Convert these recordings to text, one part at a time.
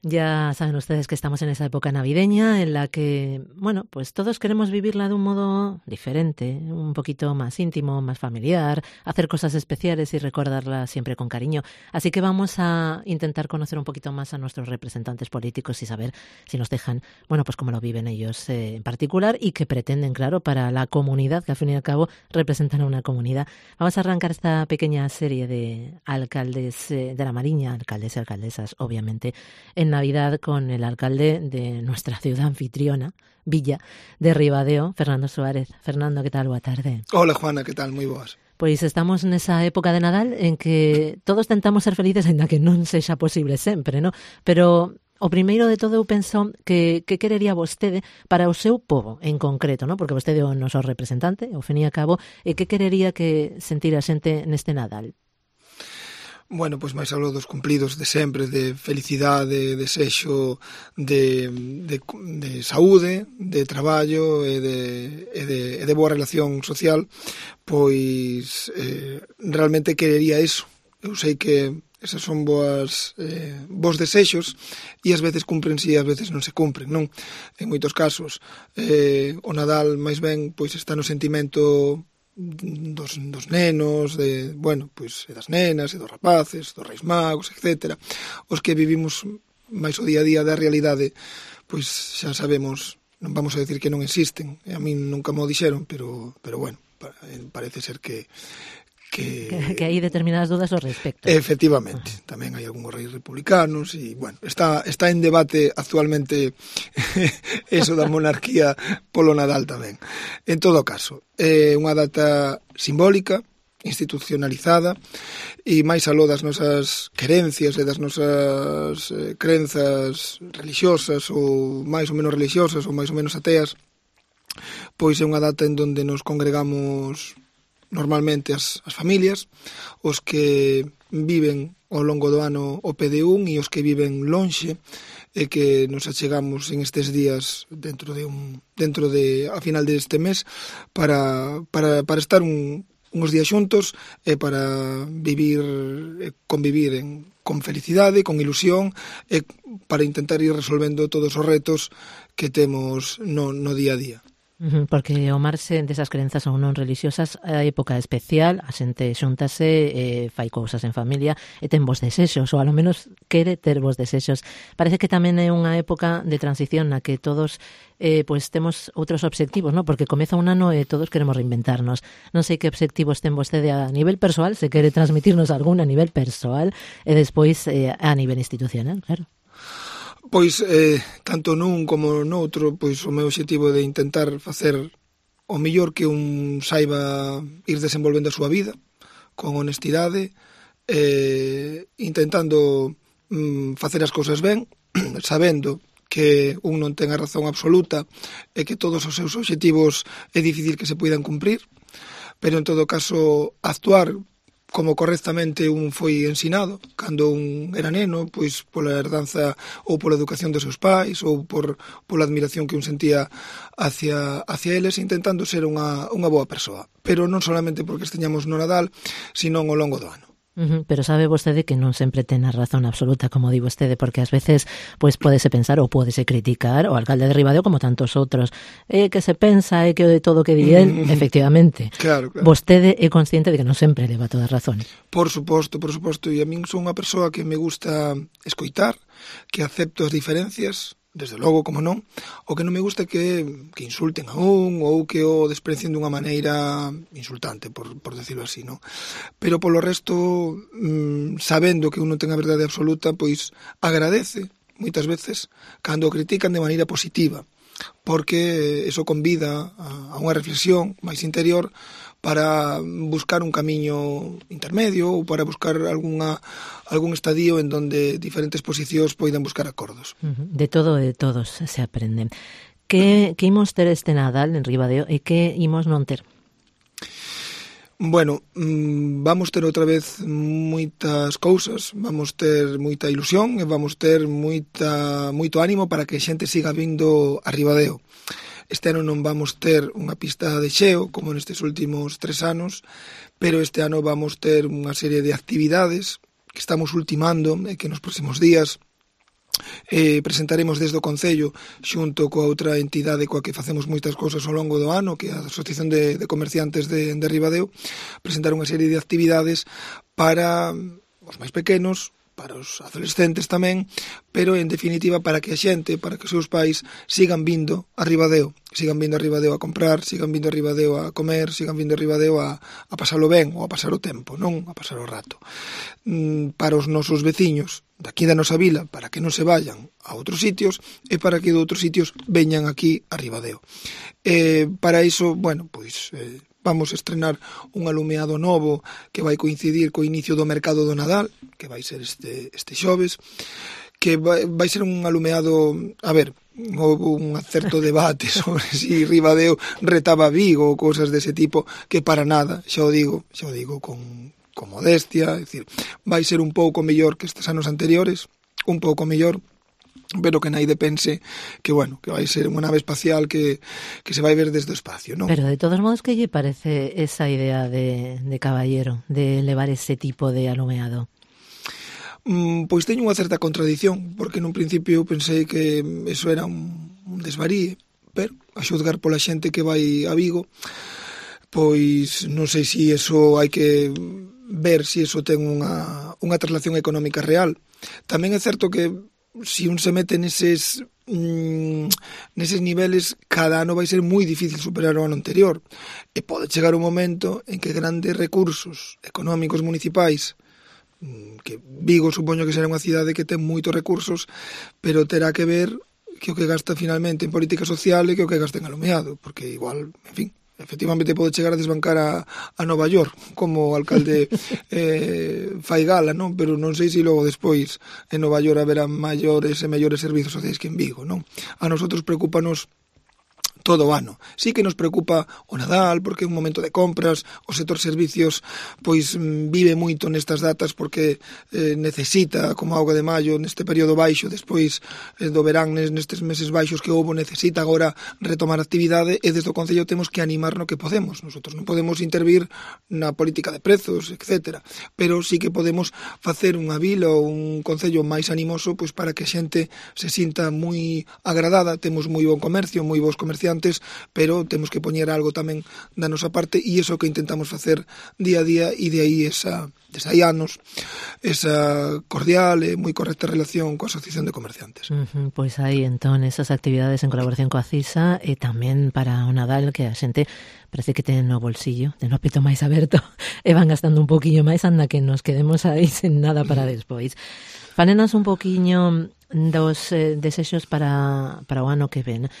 Ya saben ustedes que estamos en esa época navideña en la que, bueno, pues todos queremos vivirla de un modo diferente, un poquito más íntimo, más familiar, hacer cosas especiales y recordarla siempre con cariño. Así que vamos a intentar conocer un poquito más a nuestros representantes políticos y saber si nos dejan, bueno, pues cómo lo viven ellos en particular y qué pretenden, claro, para la comunidad, que al fin y al cabo representan a una comunidad. Vamos a arrancar esta pequeña serie de alcaldes de la Mariña, alcaldes y alcaldesas, obviamente, en Navidad con el alcalde de nuestra ciudad anfitriona, Villa de Ribadeo, Fernando Suárez. Fernando, ¿qué tal? Boa tarde. Hola, Juana, que tal? Moi boas. Pois estamos nesa época de Nadal en que todos tentamos ser felices aínda que non sexa posible sempre, non? Pero o primeiro de todo eu penso que querería vostede para o seu pobo en concreto, non? Porque vostede é o noso representante, ao fin e a cabo, e que querería que sentira a xente neste Nadal? Bueno, pois máis algo dos cumplidos de sempre, de felicidade, de desexo, de saúde, de traballo e de boa relación social, pois realmente querería eso. Eu sei que esas son bos desexos e ás veces cumprense e ás veces non se cumpren, non? En moitos casos o Nadal máis ben pois está no sentimento dos nenos, pois das nenas e dos rapaces, dos reis magos, etc. Os que vivimos máis o día a día da realidade, pois xa sabemos, non vamos a decir que non existen, a min nunca mo dixeron, pero bueno, parece ser que hai determinadas dudas ao respecto. Efectivamente, tamén hai algúns reis republicanos e, bueno, está en debate actualmente eso da monarquía polo Nadal tamén. En todo caso, é unha data simbólica, institucionalizada e máis aló das nosas querencias e das nosas crenzas religiosas ou máis ou menos religiosas ou máis ou menos ateas, pois é unha data en donde nos congregamos normalmente as familias, os que viven ao longo do ano o pé de un e os que viven lonxe e que nos achegamos en estes días dentro de a final deste mes para estar uns días xuntos e para convivir con felicidade, con ilusión e para intentar ir resolvendo todos os retos que temos no día a día. Porque o marxe desas crenzas ou non religiosas a época especial, a xente xuntase, fai cousas en familia e ten vos desexos, ou alo menos quere ter vos desexos. Parece que tamén é unha época de transición na que todos pois temos outros obxectivos, non? Porque comeza un ano e todos queremos reinventarnos. Non sei que obxectivos ten vostede a nivel persoal, se quere transmitirnos algún a nivel persoal e despois a nivel institucional, claro. Pois, tanto nun como noutro, pois o meu obxectivo de intentar facer o mellor que un saiba ir desenvolvendo a súa vida, con honestidade, intentando facer as cousas ben, sabendo que un non ten a razón absoluta e que todos os seus obxectivos é difícil que se poidan cumprir, pero en todo caso actuar como correctamente un foi ensinado cando un era neno, pois pola herdanza ou pola educación dos seus pais ou pola admiración que un sentía hacia eles, intentando ser unha boa persoa, pero non solamente porque esteñamos no Nadal, sino ao longo do ano. Pero sabe vostede que non sempre ten a razón absoluta, como di vostede, porque ás veces pois pódese pensar ou pódese criticar o alcalde de Ribadeo como tantos outros, que se pensa que de todo que di el, efectivamente. Claro. Vostede é consciente de que non sempre leva toda a razón. Por suposto, e a min son unha persoa que me gusta escoitar, que acepto as diferencias, desde logo, como non, o que non me gusta é que insulten a un ou que o desprecien dunha maneira insultante, por decirlo así, non? Pero polo resto, sabendo que un non ten a verdade absoluta, pois agradece, moitas veces, cando o critican de maneira positiva, porque eso convida a unha reflexión máis interior para buscar un camiño intermedio ou para buscar algún estadio en donde diferentes posicións poidan buscar acordos. De todo e de todos se aprende. Que imos ter este Nadal en Ribadeo e que imos non ter? Bueno, vamos ter outra vez moitas cousas, vamos ter moita ilusión e vamos ter moito ánimo para que a xente siga vindo a Ribadeo. Este ano non vamos ter unha pista de xeo, como nestes últimos 3 anos, pero este ano vamos ter unha serie de actividades que estamos ultimando e que nos próximos días presentaremos desde o Concello xunto coa outra entidade coa que facemos moitas cousas ao longo do ano, que é a Asociación de Comerciantes de Ribadeo, presentar unha serie de actividades para os máis pequenos, para os adolescentes tamén, pero en definitiva para que a xente, para que os seus pais sigan vindo a Ribadeo a comprar, sigan vindo a Ribadeo a comer, sigan vindo a Ribadeo a pasalo ben ou a pasar o tempo, non a pasar o rato. Para os nosos veciños daqui da nosa vila, para que non se vayan a outros sitios e para que de outros sitios veñan aquí a Ribadeo. Para iso, bueno, pois vamos a estrenar un alumeado novo que vai coincidir co inicio do mercado do Nadal, que vai ser este xoves, que vai ser un alumeado, a ver, houve un certo debate sobre si Ribadeo retaba a Vigo ou cousas dese tipo, que para nada, xa o digo con modestia, é dicir, vai ser un pouco mellor que estes anos anteriores, un pouco mellor, pero que naide pense que, bueno, que vai ser unha nave espacial que se vai ver desde o espacio, non? Pero de todos modos, que lle parece esa idea de Caballero, de levar ese tipo de alumeado? Pois teño unha certa contradición, porque nun principio eu pensei que eso era un desvaríe, pero a xuzgar pola xente que vai a Vigo, pois non sei se eso hai que ver se eso ten unha traslación económica real. Tamén é certo que se un se mete neses niveles, cada ano vai ser moi difícil superar o ano anterior, e pode chegar un momento en que grandes recursos económicos municipais, que Vigo supoño que será unha cidade que ten moitos recursos, pero terá que ver que o que gasta finalmente en política social e que o que gasta en alumeado, porque igual, en fin, efectivamente pode chegar a desbancar a Nova York como o alcalde fai gala, non? Pero non sei se logo despois en Nova York haberá maiores e mellores servizos sociais que en Vigo, non? A nosotros preocupanos todo o ano. Sí que nos preocupa o Nadal, porque é un momento de compras, o sector servicios pois vive moito nestas datas porque necesita, como auga de maio, neste período baixo, despois do verán, nestes meses baixos que houbo, necesita agora retomar a actividade, e desde o Concello temos que animar no que podemos. Nosotros non podemos intervir na política de prezos, etc. Pero sí que podemos facer unha vila ou un Concello máis animoso pois para que a xente se sinta moi agradada. Temos moi bon comercio, moi bons comerciantes, pero temos que poñer algo tamén da nosa parte, e iso que intentamos facer día a día, e de aí desde hai anos esa cordial e moi correcta relación coa Asociación de Comerciantes. Pois aí, entón, esas actividades en colaboración coa CISA, e tamén para o Nadal, que a xente parece que ten no bolsillo, ten o apito máis aberto, e van gastando un poquinho máis, anda que nos quedemos aí sen nada para despois. Fálenos un poquinho dos desexos para o ano que ven.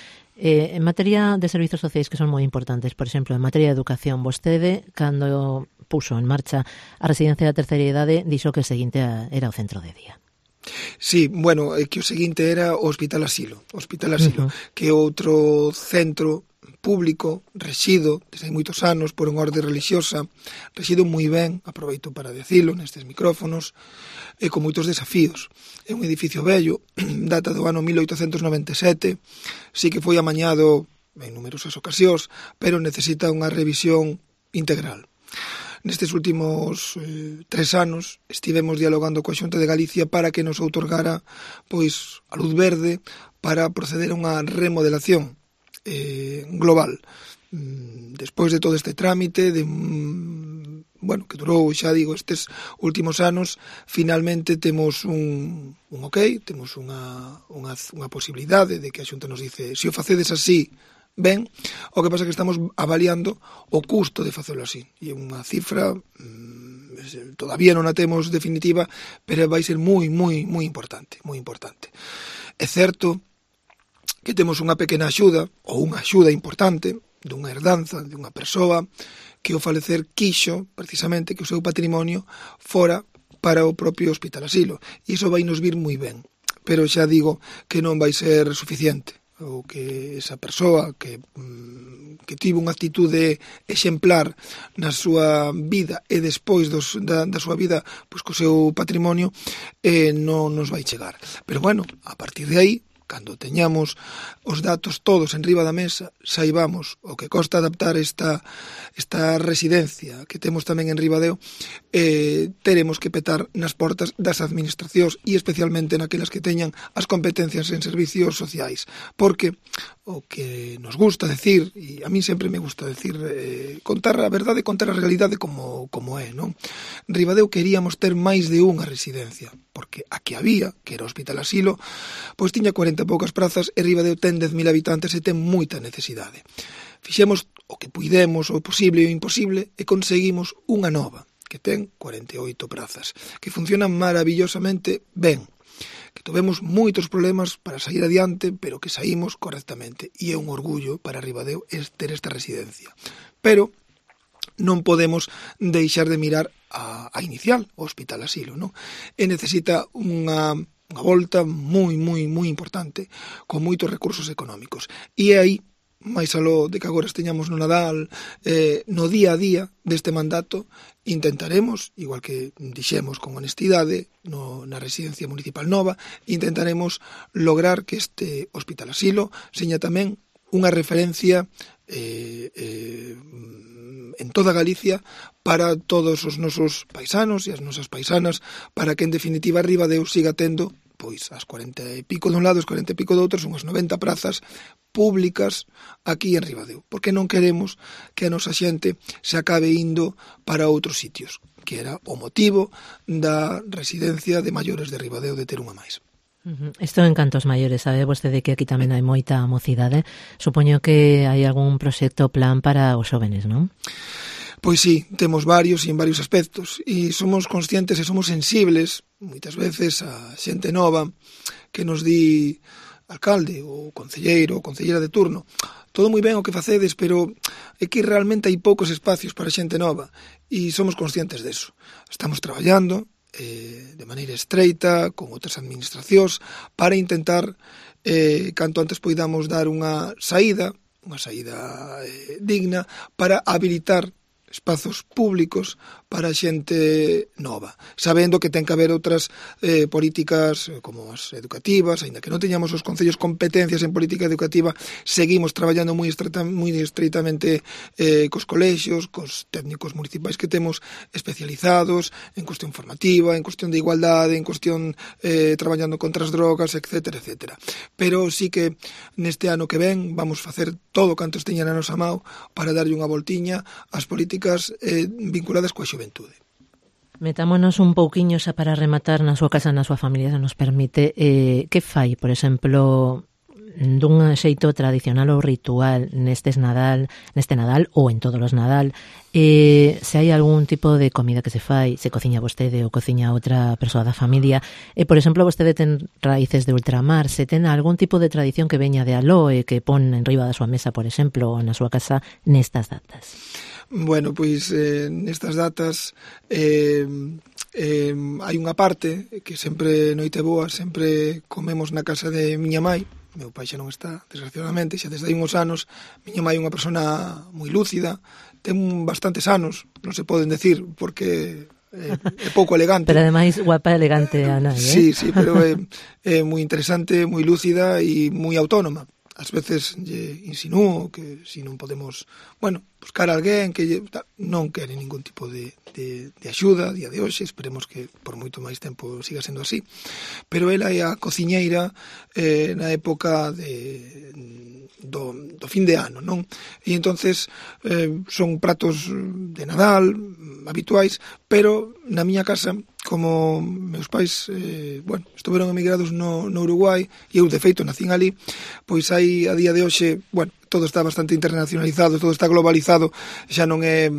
En materia de servizos sociais que son moi importantes, por exemplo, en materia de educación, vostede, cando puso en marcha a residencia da terceira idade, dixo que o seguinte era o centro de día. Sí, bueno, que o seguinte era o Hospital Asilo, que é outro centro público, rexido desde hai moitos anos por unha orde religiosa, rexido moi ben, aproveito para decilo nestes micrófonos, e con moitos desafíos. É un edificio vello, data do ano 1897, sí que foi amañado en numerosas ocasións, pero necesita unha revisión integral. Nestes últimos 3 anos estivemos dialogando coa Xunta de Galicia para que nos outorgara pois a luz verde para proceder a unha remodelación global. Despois de todo este trámite que durou, xa digo, estes últimos anos, finalmente temos un ok, temos unha posibilidade de que a Xunta nos dice se o facedes así, ben. O que pasa é que estamos avaliando o custo de facelo así, e unha cifra todavía non a temos definitiva, pero vai ser moi importante, moi importante. É certo que temos unha pequena axuda, ou unha axuda importante, dunha herdanza de unha persoa que ao falecer quixo, precisamente, que o seu patrimonio fora para o propio Hospital Asilo. E iso vai nos vir moi ben. Pero xa digo que non vai ser suficiente, ou que esa persoa que tivo unha actitude exemplar na súa vida e despois da súa vida pois co seu patrimonio non nos vai chegar. Pero bueno, a partir de aí, cando teñamos os datos todos en riba da mesa, saibamos o que costa adaptar esta residencia que temos tamén en Ribadeo, teremos que petar nas portas das administracións e especialmente naquelas que teñan as competencias en servicios sociais, porque o que nos gusta decir, e a mí sempre me gusta decir, contar a verdade, contar a realidade como é, non? Ribadeo queríamos ter máis de unha residencia, porque a que había, que era o Hospital Asilo, pois tiña 40 e poucas prazas e Ribadeo ten 10.000 habitantes e ten moita necesidade. Fixemos o que puidemos, o posible e o imposible, e conseguimos unha nova, que ten 48 prazas, que funcionan maravillosamente ben, que tivemos moitos problemas para sair adiante, pero que saímos correctamente, e é un orgullo para Ribadeo ter esta residencia. Pero non podemos deixar de mirar a inicial, o Hospital Asilo, non? E necesita unha volta moi importante, con moitos recursos económicos. E aí, máis aló de que agora esteñamos no Nadal, no día a día deste mandato, intentaremos, igual que dixemos con honestidade na residencia municipal nova, intentaremos lograr que este Hospital Asilo seña tamén unha referencia en toda Galicia para todos os nosos paisanos e as nosas paisanas, para que en definitiva Ribadeo siga tendo pois as 40 e pico dun lado, as 40 e pico do outro, son as 90 prazas públicas aquí en Ribadeo, porque non queremos que a nosa xente se acabe indo para outros sitios, que era o motivo da residencia de maiores de Ribadeo, de ter unha máis. Isto en cantos maiores, sabe vostede que aquí tamén hai moita mocidade. Supoño que hai algún proxecto plan para os xóvenes, non? Pois sí, temos varios e en varios aspectos, e somos conscientes e somos sensibles moitas veces a xente nova que nos di alcalde ou concelleiro ou concelleira de turno: todo moi ben o que facedes, pero é que realmente hai poucos espacios para xente nova, e somos conscientes deso. Estamos traballando de maneira estreita con outras administracións para intentar canto antes poidamos dar unha saída digna para habilitar espazos públicos para a xente nova, sabendo que ten que haber outras políticas como as educativas, aínda que non teñamos os concellos competencias en política educativa, seguimos traballando moi estreitamente cos colexios, cos técnicos municipais que temos especializados en cuestión formativa, en cuestión de igualdade, en cuestión traballando contra as drogas, etcétera, etcétera. Pero sí que neste ano que ven vamos facer todo canto esteña na nosa mão para darlle unha voltiña ás políticas vinculadas coa xuventude. Metámonos un pouquiño xa para rematar na súa casa, na súa familia, se nos permite. Que fai, por exemplo, dun xeito tradicional ou ritual neste Nadal ou en todos os Nadal? Se hai algún tipo de comida que se fai, se cociña vostede ou cociña outra persoa da familia, por exemplo, vostede ten raíces de ultramar, se ten algún tipo de tradición que veña de aló e que pon en riba da súa mesa, por exemplo, ou na súa casa nestas datas. Bueno, pois nestas datas hai unha parte que sempre noite boa, sempre comemos na casa de miña mai. Meu pai xa non está, desgraciadamente, xa desde hai uns anos. Miña mai é unha persona moi lúcida, ten bastantes anos, non se poden decir, porque é pouco elegante. Pero ademais guapa e elegante a nai, Sí, pero é moi interesante, moi lúcida e moi autónoma. Ás veces lle insinúo que se non podemos, buscar a alguén que non quere ningún tipo de axuda a día de hoxe, esperemos que por moito máis tempo siga sendo así, pero ela é a cociñeira na época do fin de ano, non? E entonces son pratos de Nadal habituais, pero na miña casa, como meus pais estuveron emigrados no Uruguai e eu de feito nacín ali, pois hai a día de hoxe, todo está bastante internacionalizado, todo está globalizado, xa non é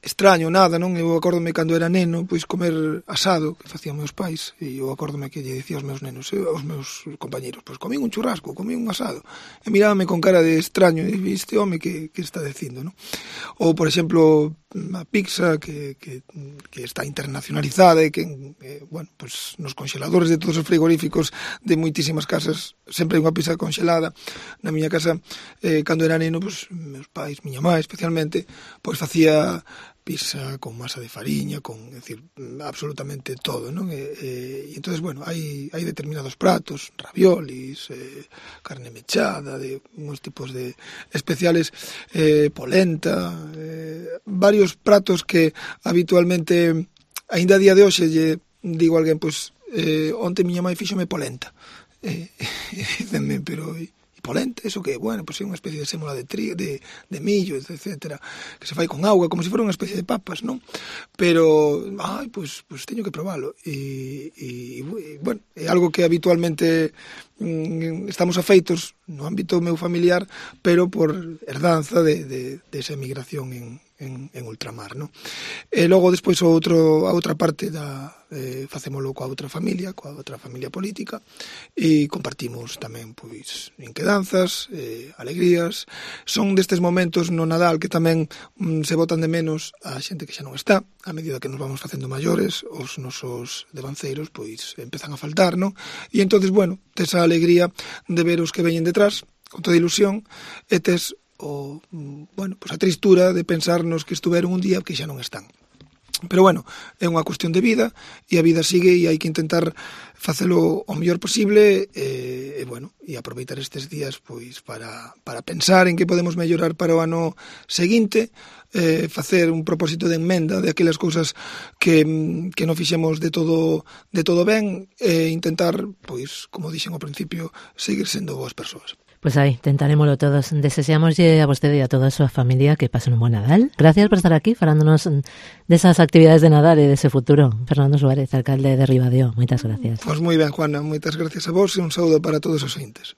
extraño nada, non? Eu acórdome cando era neno, pois comer asado que facían meus pais, e eu acórdome que lle dicía aos meus nenos, aos meus compañeros, pois comín un churrasco, comín un asado, e mirábame con cara de extraño, e este home que está dicindo, non? Ou, por exemplo, a pizza que está internacionalizada e que, pues nos congeladores de todos os frigoríficos de moitísimas casas sempre hai unha pizza congelada. Na miña casa, cando era neno, pues meus pais, miña mãe especialmente, pois facía pizza con masa de fariña, con, é dicir, absolutamente todo, non? E entonces, bueno, hai determinados pratos, raviolis, carne mechada, de uns tipos de especiales, polenta, varios pratos que habitualmente, aínda a día de hoxe, lle digo a alguén, pois, onte miña mãe fíxome polenta. E dicenme, pero... polenta, eso que, bueno, pois é unha especie de sémola de trigo, de millo, etcétera, que se fai con auga, como se fora unha especie de papas, non? Pero, pois teño que probalo. E bueno, é algo que habitualmente estamos afeitos no ámbito meu familiar, pero por herdanza de esa emigración en ultramar, non? E logo, despois, a outra parte facémolo coa outra familia política, e compartimos tamén, pois, inquedanzas, alegrías. Son destes momentos no Nadal que tamén se botan de menos a xente que xa non está, a medida que nos vamos facendo maiores, os nosos devanceiros, pois, empezan a faltar, non? E entonces, bueno, tes a alegría de ver os que veñen detrás, con toda ilusión, e tes a tristura de pensar nos que estuveron un día que xa non están. Pero bueno, é unha cuestión de vida, e a vida sigue, e hai que intentar facelo o mellor posible, e aproveitar estes días pois para pensar en que podemos mellorar para o ano seguinte, facer un propósito de enmenda de aquelas cousas que non fixemos de todo ben, e intentar, pois, como dixen ao principio, seguir sendo boas persoas. Pues aí, tentarémolo todos. Deseámoslle a vostede e a toda a súa familia que pasen un buen Nadal. Gracias por estar aquí falándonos desas actividades de Nadal e dese futuro. Fernando Suárez, alcalde de Ribadeo. Moitas gracias. Pois moi ben, Juana. Moitas gracias a vos e un saúdo para todos os ointes.